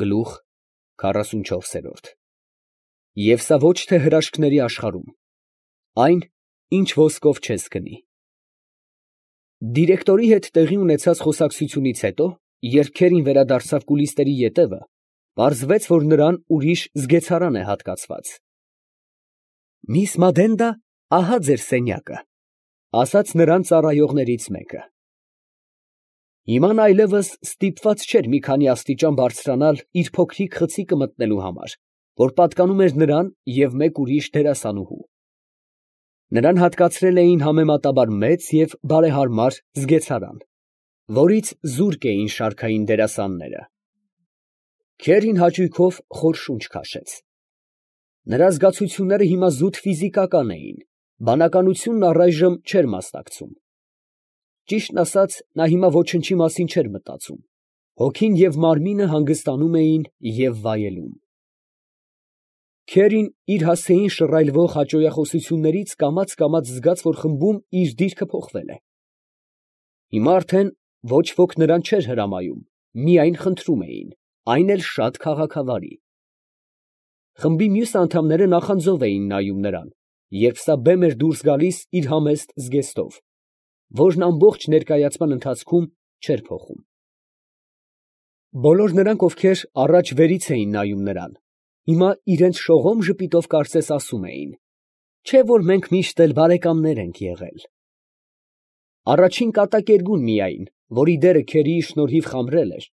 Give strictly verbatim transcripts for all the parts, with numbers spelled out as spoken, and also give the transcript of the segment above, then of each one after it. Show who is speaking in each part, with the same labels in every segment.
Speaker 1: Գլուխ քառասունչորս։ Եվ սա ոչ թե հրաշքների աշխարհում, այն, ինչ ոսկով չես գնի։ Դիրեկտորի հետ տեղի ունեցած խոսակցությունից հետո, երբ քերին վերադարձավ կուլիսների ետևը, պարզվեց, որ նրան ուրիշ զգեցարան է հատկացված։ «Միս Մադենդա, ահա ձեր սենյակը», ֊ ասաց նրան ծառայողներից մեկը։ Հիմա նա այլևս ստիպված չէր մի քանի աստիճան բարձրանալ իր փոքրիկ խցիկը մտնելու համար, որ պատկանում էր նրան և մեկ ուրիշ դերասանուհու։ Նրան հատկացրել էին համեմատաբար մեծ և բարեհարմար զգեցարան, որից զուրկ էին շարքային դերասանները։ Քերին հաճույքով խոր շունչ քաշեց։ Նրա զգացությունները հիմա զուտ ֆիզիկական էին, բանականությունն առայժմ չէր մասնակցում։ Ճիշտն ասած, նա հիմա ոչնչի մասին չէր մտածում, հոգին և մարմինը հանգստանում էին և վայելում։ Քերին իր հասցեին շռայլվող հաճոյախոսություններից կամաց֊կամաց զգաց, որ խմբում իր դիրքը փոխվել է։ Հիմա արդեն ոչ ոք նրան չէր հրամայում, միայն խնդրում էին, այն էլ շատ քաղաքավարի։ Խմբի մյուս անդամները նախանձով էին նայում նրան, երբ սա բեմ էր դուրս գալիս իր համեստ զգեստով, որն ամբողջ ներկայացման ընթացքում չէր փոխում։ Բոլոր նրանք, ովքեր առաջ վերից էին նայում նրան, հիմա իրենց շողոմ ժպիտով կարծես ասում էին. «Չէ՞ որ մենք միշտ էլ բարեկամներ ենք եղել»։ Առաջին կատակերգուն միայն, որի դերը քերիի շնորհիվ խամրել էր,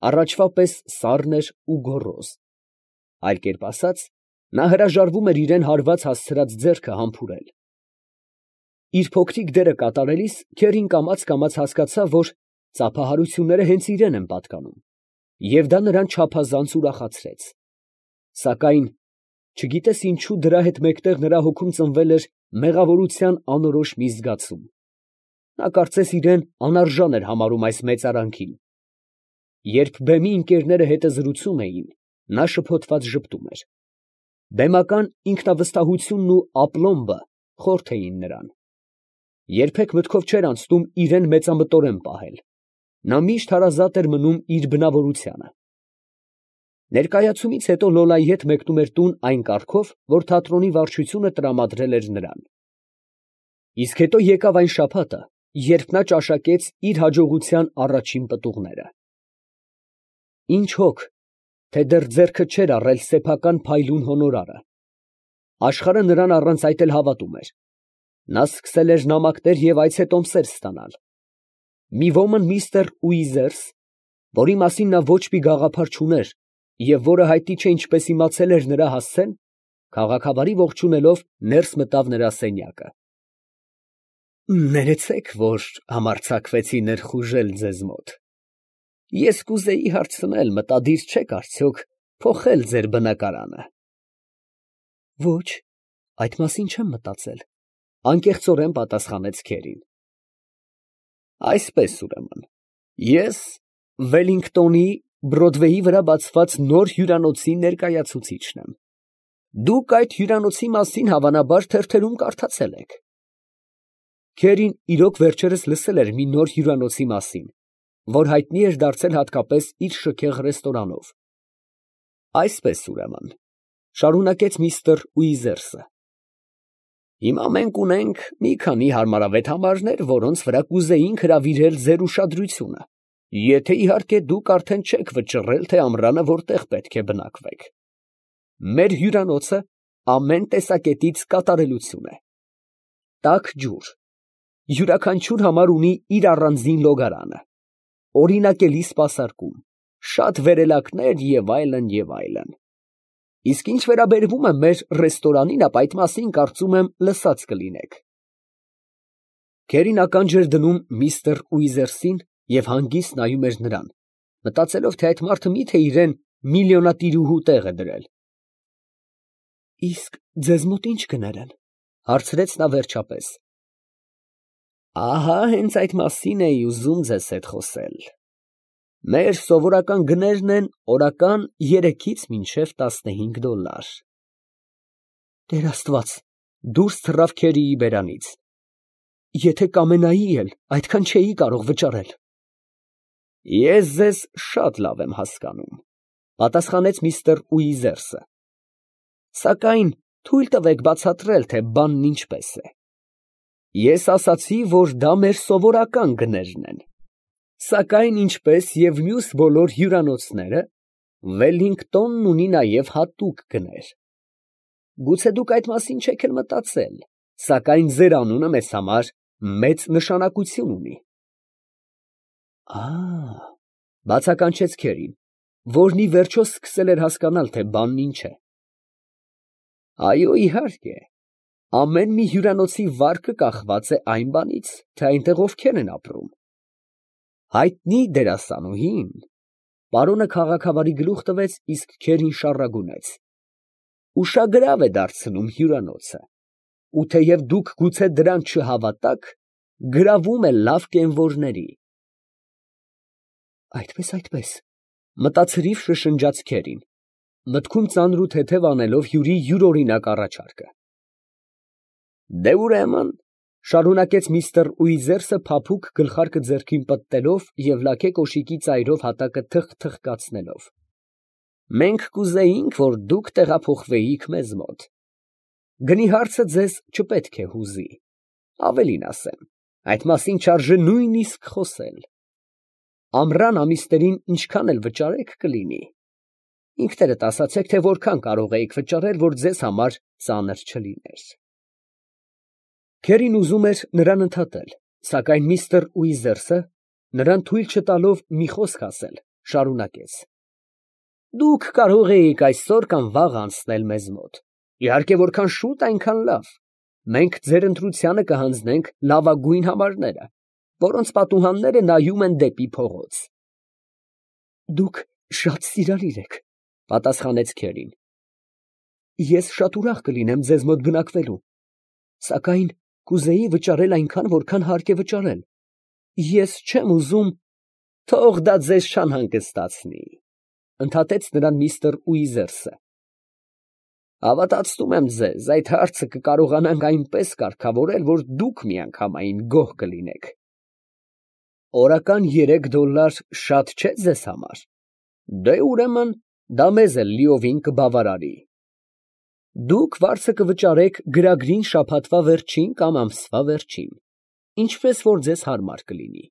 Speaker 1: առաջվա պես սառն էր ու գոռոզ։ Այլ կերպ ասած, նա հրաժարվում էր իրան հարված հասցրած ձեռքը համբուրել։ Իր փոքրիկ դերը կատարելիս քերին կամաց֊կամաց հասկացավ, որ ծափահարությունները հենց իրան են պատկանում, և դա նրան չափազանց ուրախացրեց։ Սակայն, չգիտես ինչու, դրա հետ մեկտեղ նրա հոգում ծնվել էր մեղավորության անորոշ մի զգացում։ Նա կարծես իրան անարժան էր համարում այս մեծարանքին։ Երբ բեմի ընկերները հետզրուցում էին, նա շփոթված ժպտում էր։ Բեմական ինքնավստահությունն ու ապլոմբը խորթ էին նրան։ Երբեք մտքով չէր անցնում իրան մեծամտորեն պահել։ Նա միշտ հարազատ էր մնում իր բնավորությանը։ Ներկայացումից հետո Լոլայի հետ մեկնում էր տուն այն կարգով, որ թատրոնի վարչությունը տրամադրել էր նրան։ Իսկ հետո եկավ այն շաբաթը, երբ նա ճաշակեց իր հաջողության առաջին պտուղները։ Ինչ հոգ, թե դեռ ձեռքը չէր առել սեփական փայլուն հոնորարը։ Աշխարհը նրան առանց այդ էլ հավատում էր։ Նա սկսել էր նամակներ և այցետոմսեր ստանալ։ Մի ոմն միստր Ուիզերս, որի մասին նա ոչ մի գաղափար չուներ և որը հայտնի չէ ինչպես իմացել էր նրա հասցեն, քաղաքավարի ողջունելով, ներս մտավ նրա սենյակը։ «Ներեցեք, որ համարձակվեցի ներխուժել ձեզ մոտ։ Ես կուզեի հարցնել, մտադիր չեք արդյոք փոխել ձեր բնակարանը»։ «Ոչ, այդ մասին չեմ մտածել», ֊ անկեղծորեն պատասխանեց քերին։ «Այսպես ուրեմն, ես Վելլինգտոնի Բրոդվեյի վրա բացված նոր հյուրանոցի ներկայացուցիչն եմ։ Դուք այդ հյուրանոցի մասին հավանաբար թերթերում կարդացել եք»։ Քերին իրոք վերջերս լսել էր մի նոր հյուրանոցի մասին, որ հայտնի էր դարձել հատկապես իր շքեղ ռեստորանով։ «Այսպես ուրեմն, ֊ շարունակեց միստր Ուիզերսը, ֊ հիմա մենք ունենք մի քանի հարմարավետ համարներ, որոնց վրա կուզեինք հրավիրել ձեր ուշադրությունը, եթե իհարկե դուք արդեն չեք վճռել, թե ամռանը որտեղ պետք է բնակվեք։ Մեր հյուրանոցը ամեն տեսակետից կատարելություն է. տաք ջուր, յուրաքանչյուր համար ունի իր առանձին լոգարանը, օրինակելի սպասարկում, շատ վերելակներ և այլն, և այլն։ Իսկ ինչ վերաբերվում է մեր ռեստորանին, ապա այդ մասին, կարծում եմ, լսած կլինեք»։ Քերին ականջ էր դնում միստր Ուիզերսին և հանգիստ նայում էր նրան, մտածելով, թե այդ մարդը մի՞թե իրան միլիոնատիրուհու տեղ է դրել։ «Իսկ ձեզ մոտ ի՞նչ գներ են», ֊ հարցրեց նա վերջապես։ «Ահա հենց այդ մասին էի ուզում ձեզ հետ խոսել։ Մեր սովորական գներն են օրական երեքից մինչև տասնհինգ դոլար»։ «Տեր Աստված», ֊ դուրս թռավ քերիի բերանից, ֊ եթե կամենայի էլ, այդքան չէի կարող վճարել։ «Ես ձեզ շատ լավ եմ հասկանում, Պատասխանեց միստր Ուիզերսը։ Սակայն թույլ տվեք բացատրել, թե բանն ինչպես է։ Ես ասացի, որ դա մեր սովորական գներն են, սակայն ինչպես և մյուս բոլոր հյուրանոցները, Վելլինգտոնն ունի նաև հատուկ գներ։ Գուցե դուք այդ մասին չեք էլ մտածել, սակայն ձեր անունը մեզ համար մեծ նշանակություն ունի։ Ա՜, բացականչեց Քերին, որն ի վերջո սկսել էր հասկանալ, թե բանն ինչ է։ Այո, իհարկե, ամեն մի հյուրանոցի վարկը կախված է այն բանից, թե այնտեղ ովքեր են ապրում։ Հայտնի դերասանուհին, պարոնը քաղաքավարի գլուխ տվեց, իսկ Քերին շառագունեց, ուշագրավ է դարձնում հյուրանոցը, ու թեև դուք գուցե դրան չհավատաք, գրավում է լավ կենվորների։ Այդպես, այդպես, մտածրիվ շշնջաց Քերին, մտքում ծանր ու թեթև անելով հյուրի յուրօրինակ առաջարկը։ Դե ուրեմն, շարունակեց միստր Ուիզերսը փափուկ գլխարկը ձեռքին պտտելով և լաքե կոշիկի ծայրով հատակը թխթխկացնելով, մենք կուզեինք, որ դուք տեղափոխվեիք մեզ մոտ։ Գնի հարցը ձեզ չպետք է հուզի, ավելին ասեմ, այդ մասին չարժե նույնիսկ խոսել։ Ամռան ամիսներին ինչքան էլ վճարեք կլինի, ինքներդ ասացեք, թե որքան կարող էիք վճարել, որ ձեզ համար ծանր չլիներ։ Քերին ուզում էր նրան ընդհատել, սակայն միստր Ուիզերսը, նրան թույլ չտալով մի խոսք ասել, շարունակեց. Դուք կարող էիք այսօր կամ վաղ անցնել մեզ մոտ, իհարկե որքան շուտ, այնքան լավ, մենք ձեր ընտրությանը կհանձնենք լավագույն համարները, որոնց պատուհանները նայում են դեպի փողոց։ Դուք շատ սիրալիր եք, պատասխանեց Քերին։ Ես շատ ուրախ կլինեմ ձեզ մոտ բնակվելու, սակայն կուզեի վճարել այնքան, որքան հարկ է վճարել։ Ես չեմ ուզում… Թող դա ձեզ չանհանգստացնի, ընդհատեց նրան միստր Ուիզերսը։ Հավատացնում եմ ձեզ, այդ հարցը կկարողանանք այնպես կարգավորել, որ դուք միանգամայն գոհ կլինեք։ Օրական երեք դոլար շատ չէ ձեզ համար։ Դե ուրեմն դա մեզ էլ լիովին կբավարարի։ Դուք վարձը կվճարեք գրագրին շաբաթվա վերջին կամ ամսվա վերջին, ինչպես որ ձեզ հարմար կլինի։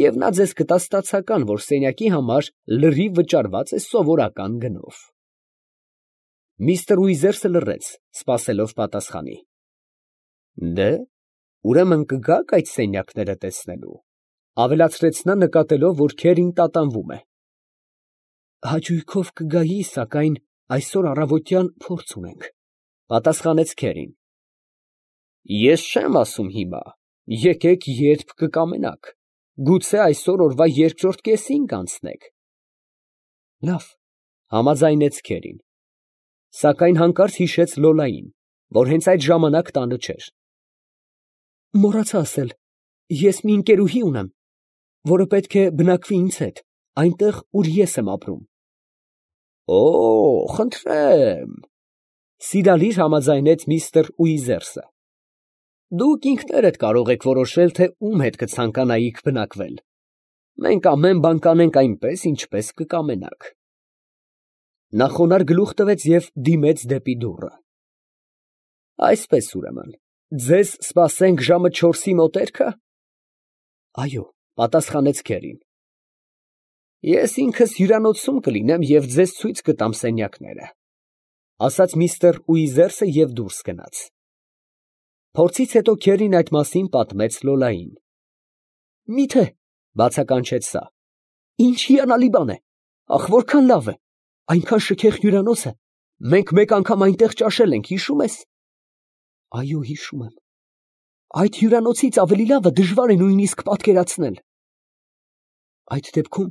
Speaker 1: Եվ նա ձեզ կտա ստացական, որ սենյակի համար լրիվ վճարված է սովորական գնով։ Միստր Ուիզերսը լռեց, սպասելով պատասխանի։ Դե, ուրեմն կգաք այդ սենյակները տեսնելու, ավելացրեց նա նկատելով, որ Քերին տատանվում է։ Հաճույքով կգայի, սակայն այսօր առավոտյան փորձ ունենք, պատասխանեց Քերին։ Ես չեմ ասում հիմա, եկեք երբ կկամենաք, գուցե այսօր օրվա երկրորդ կեսին կանցնեք։ Լավ, համաձայնեց Քերին, սակայն հանկարծ հիշեց Լոլային, որ հենց այդ ժամանակ տանը չէր։ Մոռացա ասել, ես մի ընկերուհի ունեմ, որը պետք է բնակվի ինձ հետ, այնտեղ, ուր ես եմ ապրում։ Օ, խնդրեմ, սիրալիր համաձայնեց միստր Ուիզերսը։ Դուք ինքներդ կարող եք որոշել, թե ում հետ կցանկանայիք բնակվել։ Մենք ամեն բան կանենք այնպես, ինչպես կկամենաք։ Նա խոնարհ գլուխ տվեց և դիմեց դեպի դուռը։ Այսպես ուրեմն, ձեզ սպասենք ժամը չորսի մոտերքը։ Այո, պատասխանեց Քերին։ Ես ինքս հյուրանոցում կլինեմ և ձեզ ցույց կտամ սենյակները, ասաց միստր Ուիզերսը և դուրս գնաց։ Փորձից հետո Քերին այդ մասին պատմեց Լոլային։ Միթե, բացականչեց սա, ինչ հիանալի բան է, ախ, որքան լավ է, այնքան շքեղ հյուրանոց է, մենք մեկ անգամ այնտեղ ճաշել ենք, հիշում ես։ Այո, հիշում եմ։ Այդ հյուրանոցից ավելի լավը դժվար է նույնիսկ պատկերացնել։ Այդ դեպքում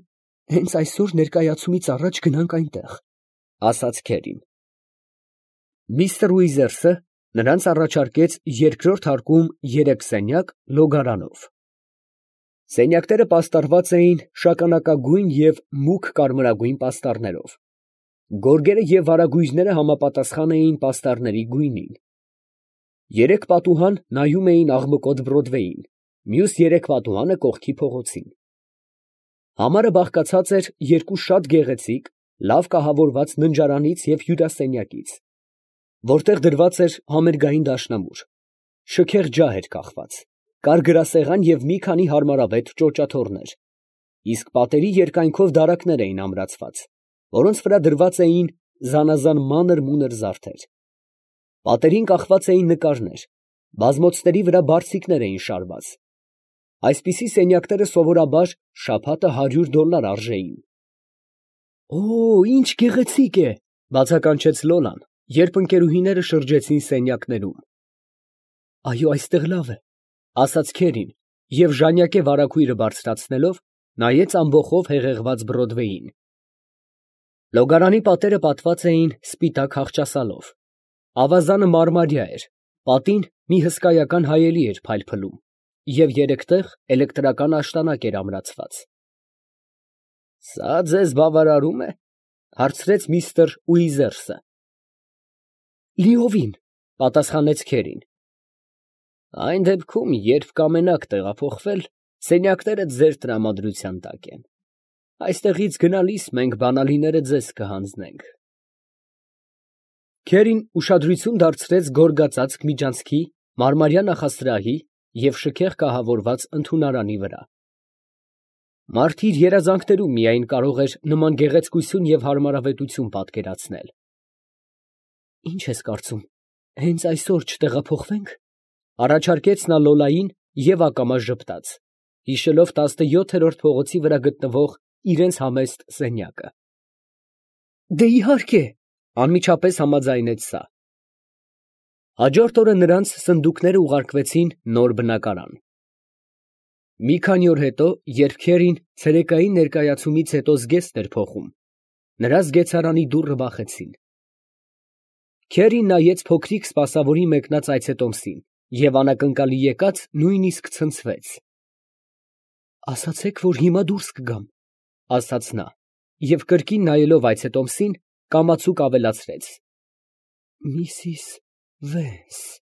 Speaker 1: հենց այսօր ներկայացումից առաջ գնանք այնտեղ, ասաց Քերին։ Միստր Ուիզերսը նրանց առաջարկեց երկրորդ հարկում երեք սենյակ լոգարանով։ Սենյակները պաստառված էին շագանակագույն և մուգ կարմրագույն պաստառներով։ Գորգերը և վարագույրները համապատասխան էին պաստառների գույնին։ Երեք պատուհան նայում էին աղմկոտ Բրոդվեյին, մյուս երեք պատուհանը կողքի փողոցին։ Համարը բաղկացած էր երկու շատ գեղեցիկ, լավ կահավորված ննջարանից և հյուրասենյակից, որտեղ դրված էր համերգային դաշնամուր, շքեղ ջահ էր կախված, կար գրասեղան և մի քանի հարմարավետ ճոճաթոռներ, իսկ պատերի երկայնքով դարակներ էին ամրացված, որոնց վրա դրված էին զանազան մանր֊մունր զարդեր. պատերին կախված էին նկարներ, բազմոցների վրա բարձիկներ էին շարված. այսպիսի սենյակները սովորաբար շաբաթը հարյուր դոլար արժեին։ ֊ Օ՜, ինչ գեղեցիկ է, ֊ բացականչեց Լոլան, երբ ընկերուհիները շրջեցին սենյակներում։ ֊ Այո, այստեղ լավ է, ֊ ասաց քերին և ժանյակե վարագույրը բարձրացնելով, նայեց ամբոխով հեղեղված Բրոդվեյին։ Լոգարանի պատերը պատված էին սպիտակ խաղճասալով, ավազանը մարմարյա էր, պատին մի հսկայական հայելի էր փայլփլում և երեք տեղ էլեկտրական աշտանակ էր ամրացված։ ֊ Սա ձեզ բավարարո՞ւմ է, ֊ հարցրեց միստր Ուիզերսը։ ֊ Լիովին, ֊ պատասխանեց քերին։ ֊ Այն դեպքում, երբ կամենաք տեղափոխվել, սենյակները ձեր տրամադրության տակ են. այստեղից գնալիս մենք բանալիները ձեզ կհանձնենք։ Քերին ուշադրություն դարձրեց գորգածածկ միջանցքի, մարմարյա նախասրահի և շքեղ կահավորված ընդունարանի վրա։ Մարդ իր երազանքներում միայն կարող էր նման գեղեցկություն և հարմարավետություն պատկերացնել։ ֊ Ի՞նչ ես կարծում, հենց այսօր չտեղափոխվե՞նք, ֊ առաջարկեց նա Լոլային և ակամա ժպտաց, հիշելով տասնյոթերորդ փողոցի վրա գտնվող իրենց համեստ սենյակը։ ֊ Դե իհարկե, ֊ անմիջապես համաձայնեց սա։ Հաջորդ օրը նրանց սնդուկները ուղարկվեցին նոր բնակարան։ Մի քանի օր հետո, երբ քերին ցերեկային ներկայացումից հետո զգեստ էր փոխում, նրա զգեցարանի դուռը բախեցին։ Քերին նայեց փոքրիկ սպասավորի մեկնած այցետոմսին և անակնկալի եկած նույնիսկ ցնցվեց։ ֊ Ասացեք, որ հիմա դուրս կգամ, ֊ ասաց նա և կրկին նայելով այցետոմսին, կամացուկ ավելացրեց. ֊ Միսիս Վենս։